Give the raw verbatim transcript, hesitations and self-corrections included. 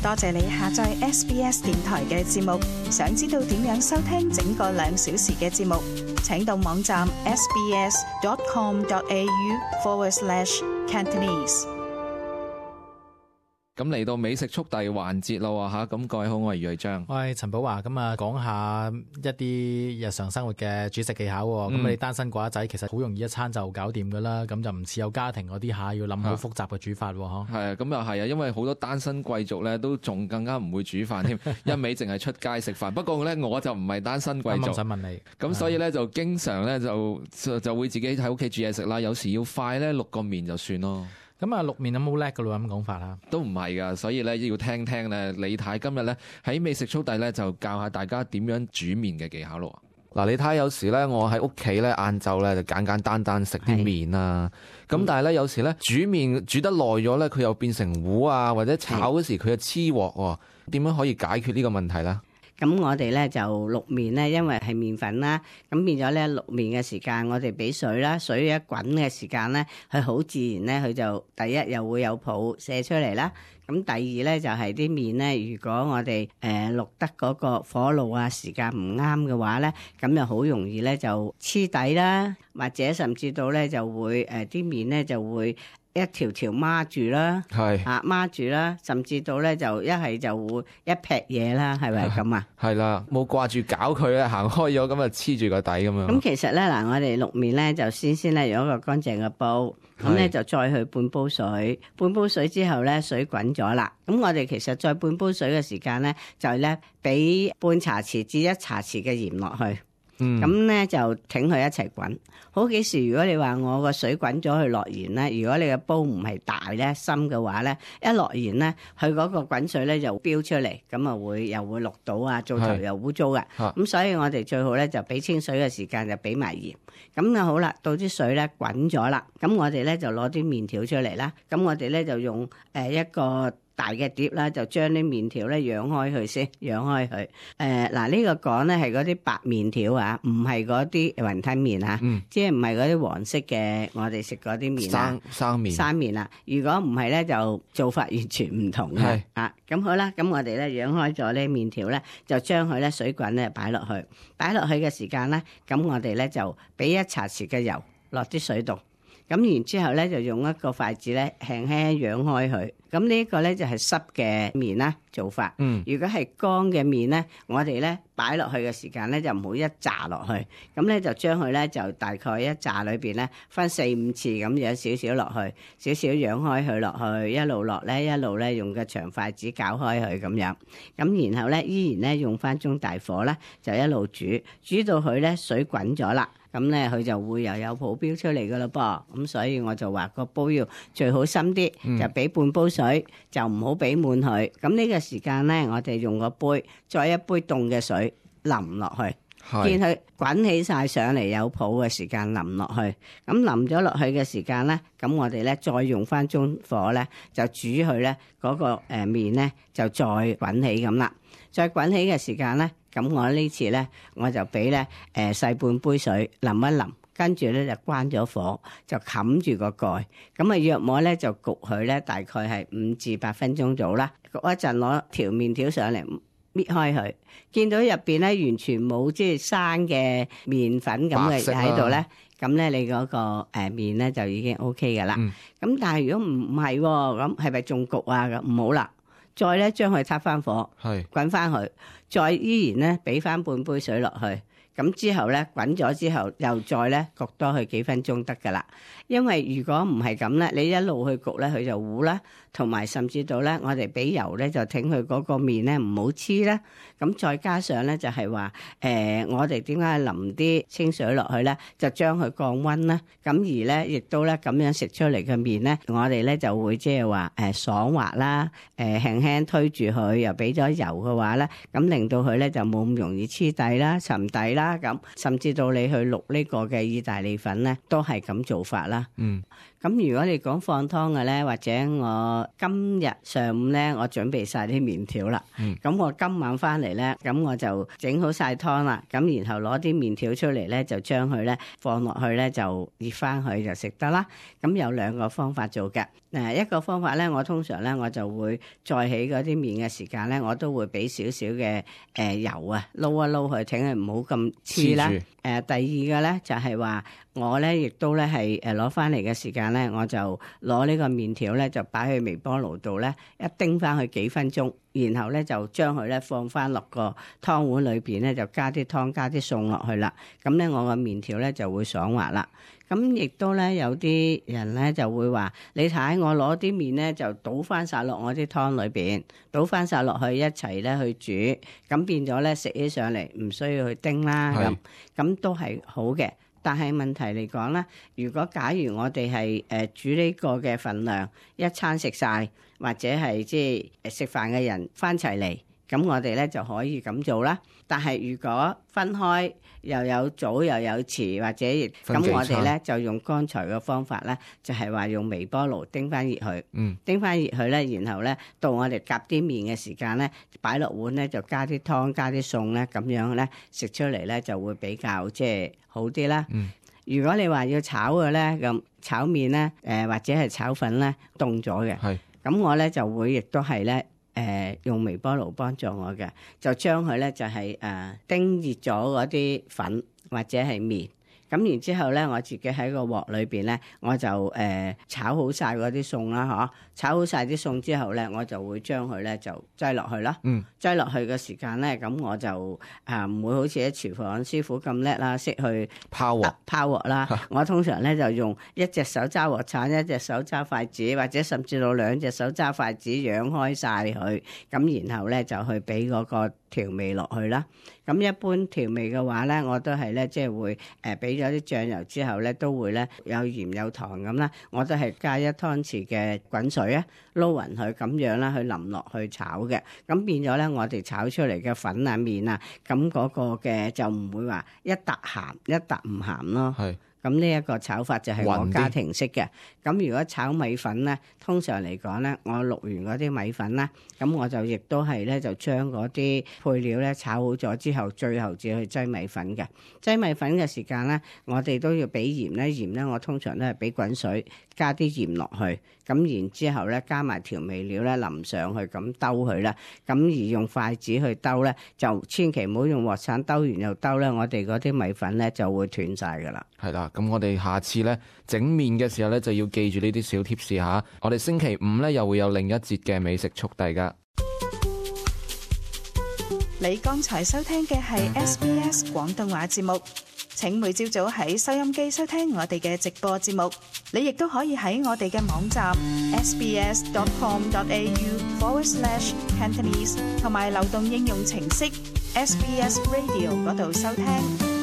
多謝你下載 S B S 電台嘅節目。想知道點樣收聽整個兩小時嘅節目，請到網站 sbs.com.au forward slash Cantonese。咁嚟到美食速遞環節咯吓，咁各位好，我係余瑞章，我係陳寶華。咁啊，講下一啲日常生活嘅煮食技巧。咁、嗯、你單身寡仔，其實好容易一餐就搞掂噶啦。咁就唔似有家庭嗰啲下要諗好複雜嘅煮法。嗬，係啊，咁又係啊，因為好多單身貴族咧都仲更加唔會煮飯添，一味淨係出街食飯。不過咧，我就唔係單身貴族。我想問你，咁所以咧就經常咧就就會自己喺屋企煮嘢食啦。有時要快咧，淥個麵就算咯。咁啊，淥麵有冇叻噶咯？咁講法啦，都唔係噶，所以咧要聽聽咧。李太今日咧喺美食速遞咧就教下大家點樣煮麵嘅技巧咯。嗱，李太有時咧我喺屋企咧晏晝咧就簡簡單單食啲麵啦。咁但係咧有時咧煮麵煮得耐咗咧，佢又變成糊啊，或者炒嗰時佢又黐鑊。點樣可以解決呢個問題咧？咁我哋咧就淥麵咧，因為係麵粉啦，咁變咗咧淥麵嘅時間，我哋俾水啦，水一滾嘅時間咧，佢好自然咧，佢就第一又會有泡射出嚟啦。咁第二咧就係啲麵咧，如果我哋誒淥得嗰個火爐啊時間唔啱嘅話咧，咁就好容易咧就黐底啦，或者甚至到咧就會誒啲麵咧就會一條條孖住啦，係啊孖住啦，甚至到咧就一係就會一劈嘢啦，係咪咁啊？係啦，冇掛住搞佢咧，行開咗咁啊黐住個底咁樣。咁其實咧嗱，我哋淥麵咧就先先咧用一個乾淨嘅煲，咁咧就再去半煲水，半煲水之後咧水滾咗啦，咁我哋其實再半煲水嘅時間咧就係咧俾半茶匙至一茶匙嘅鹽落去。咁咧、嗯、就挺佢一齊滾。好幾時如果你話我個水滾咗去落鹽咧，如果你個煲唔係大咧深嘅話咧，一落鹽咧，佢嗰個滾水咧就飆出嚟，咁啊會又會淥到啊，做頭又污糟嘅。咁所以我哋最好咧就俾清水嘅時間就俾埋鹽。咁啊好啦，到啲水咧滾咗啦，咁我哋咧就攞啲麵條出嚟啦。咁我哋咧就用誒一個大嘅碟啦，就將啲麵條咧揚開佢先，揚開佢。誒嗱呢個講咧係嗰啲白麵條啊，唔係嗰啲雲吞麵啊，嗯、即係唔係嗰啲黃色嘅我哋食嗰啲麵啊，生生麵。生麵啊，如果唔係咧就做法完全唔同嘅。係啊，咁好啦，咁我哋咧揚開咗呢麵條咧，就將佢咧水滾咧擺落去，擺落去嘅時間咧，咁我哋咧就俾一茶匙嘅油落啲水度。咁然之後咧，就用一個筷子咧，輕輕揚開佢。咁呢一個咧就係濕嘅麵啦做法。嗯，如果係乾嘅麵咧，我哋咧擺落去嘅時間咧就唔好一炸落去。咁咧就將佢咧就大概一炸裏邊咧分四五次咁樣少少落去，少少揚開佢落去，一路落咧一路咧用個長筷子攪開佢咁樣。咁然後咧依然咧用翻中大火咧就一路煮，煮到佢咧水滾咗啦。咁咧佢就會又有泡飆出嚟噶啦噃，咁所以我就話個煲要最好深啲，嗯、就俾半煲水，就唔好俾滿佢。咁呢個時間咧，我哋用個杯，再一杯凍嘅水淋落去，是見佢滾起晒上嚟有泡嘅時間淋落去。咁淋咗落去嘅時間咧，咁我哋咧再用翻中火咧，就煮佢咧嗰個誒麵咧就再滾起咁啦。再滾起嘅時間咧。咁我呢次咧，我就俾咧誒細半杯水淋一淋，跟住咧就關咗火，就冚住個蓋。咁啊，約莫咧就焗佢咧，大概係五至八分鐘到啦。焗一陣，攞條麵條上嚟搣開佢，見到入邊咧完全冇即係生嘅麵粉咁嘅喺度咧，咁咧你嗰個誒麵咧就已經 O K 噶啦。咁、嗯、但係如果唔唔係喎，咁係咪仲焗啊？咁唔好啦。再咧將佢撻翻火，滾翻佢，再依然咧俾翻半杯水落去，咁之後咧滾咗之後，又再咧焗多佢幾分鐘得噶啦。因為如果唔係咁咧，你一路去焗咧，佢就糊啦，同埋甚至到咧，我哋俾油咧就挺佢嗰個麵咧唔好黐啦。咁再加上咧就係話，誒、呃、我哋點解淋啲清水落去咧，就將佢降溫啦。咁而咧亦都咧咁樣食出嚟嘅麵咧，我哋咧就會即係話誒爽滑啦，誒、呃、輕輕推住佢，又俾咗油嘅話咧，咁令到佢咧就冇咁容易黐底啦、沉底啦咁。甚至到你去淥呢個嘅意大利粉咧，都係咁做法啦。嗯。咁如果你講放湯嘅咧，或者我我今日上午咧，我準備晒啲麵條啦。咁、嗯、我今晚翻嚟咧，咁我就整好晒湯啦。咁然後攞啲麵條出嚟咧，就將佢咧放落去咧，就熱翻佢就食得啦。咁有兩個方法做嘅。誒一個方法咧，我通常咧我就會再起嗰啲麵嘅時間咧，我都會俾少少嘅誒油啊撈一撈佢，請佢唔好咁黐啦。誒、呃、第二個咧就係、是、話我咧亦都咧係誒攞翻嚟嘅時間咧，我就攞呢個麵條咧就擺去微波爐度咧一叮翻佢幾分鐘，然後咧就將佢咧放翻落個湯碗裏邊咧，就加啲湯加啲餸落去啦。咁咧我個麵條咧就會爽滑啦。咁亦都咧有啲人咧就會話：你睇我攞啲麵咧就倒翻晒落我啲湯裏邊，倒翻晒落去一齊咧去煮，咁變咗咧食起上嚟唔需要去叮啦。咁咁都係好嘅。但係問題嚟講咧，如果假如我哋係誒煮呢個嘅份量一餐食晒，或者係即係食飯嘅人翻齊嚟，咁我哋咧就可以咁做啦。但係如果分開又有早又有遲，或者咁我哋咧就用剛才嘅方法咧，就係話用微波爐叮翻熱佢，嗯、叮翻熱佢咧，然後咧到我哋夾啲麵嘅時間咧，擺落碗咧就加啲湯加啲餸咧，咁樣咧食出嚟咧就會比較即係好啲啦。嗯、如果你話要炒嘅咧，咁炒麵咧，誒、呃、或者係炒粉咧凍咗嘅，咁是我咧就會亦都係咧。誒、呃、用微波爐幫助我嘅，就將佢咧就係、是、誒、呃、叮熱咗嗰啲粉或者係麵，咁然之後咧我自己喺個鑊裏邊咧，我就誒、呃、炒好晒嗰啲餸啦，嗬！炒好晒啲餸之後咧，我就會將佢咧就擠落去啦。嗯，擠落去嘅時間咧，咁我就啊唔會好似喺廚房師傅咁叻啦，識去拋鑊拋鑊啦。我通常咧就用一隻手揸鑊鏟，一隻手揸筷子，或者甚至到兩隻手揸筷子，揚開晒佢，咁然後咧就去俾嗰個調味落去啦。咁一般調味嘅話咧，我都係咧即係會誒俾咗啲醬油之後咧，都會咧有鹽有糖咁啦，我都係加一湯匙嘅滾水啊，撈勻佢咁樣啦，去淋落去炒嘅，咁變咗咧我哋炒出嚟嘅粉啊麵啊，咁嗰個嘅就唔會話一笪鹹一笪唔鹹咯。係。咁呢一個炒法就係我家庭式嘅。咁如果炒米粉咧，通常嚟講咧，我淥完嗰啲米粉啦，咁我就亦都係咧就將嗰啲配料咧炒好咗之後，最後至去擠米粉嘅。擠米粉嘅時間咧，我哋都要俾鹽咧，鹽咧我通常都係俾滾水加啲鹽落去，咁然之後咧加埋調味料咧淋上去，咁兜佢啦。咁而用筷子去兜咧，就千祈唔好用鑊鏟兜完又兜咧，我哋嗰啲米粉咧就會斷晒噶啦。係啦，咁我哋下次咧整麵嘅時候咧就要記住呢啲小貼士吓。我哋星期五咧又會有另一節嘅美食速遞噶。你剛才收聽嘅係 S B S 廣東話節目，請每朝早喺收音機收聽我哋嘅直播節目。你亦都可以喺我哋嘅網站 sbs.com.au forward slash Cantonese 同埋流動應用程式 S B S Radio 嗰度收聽。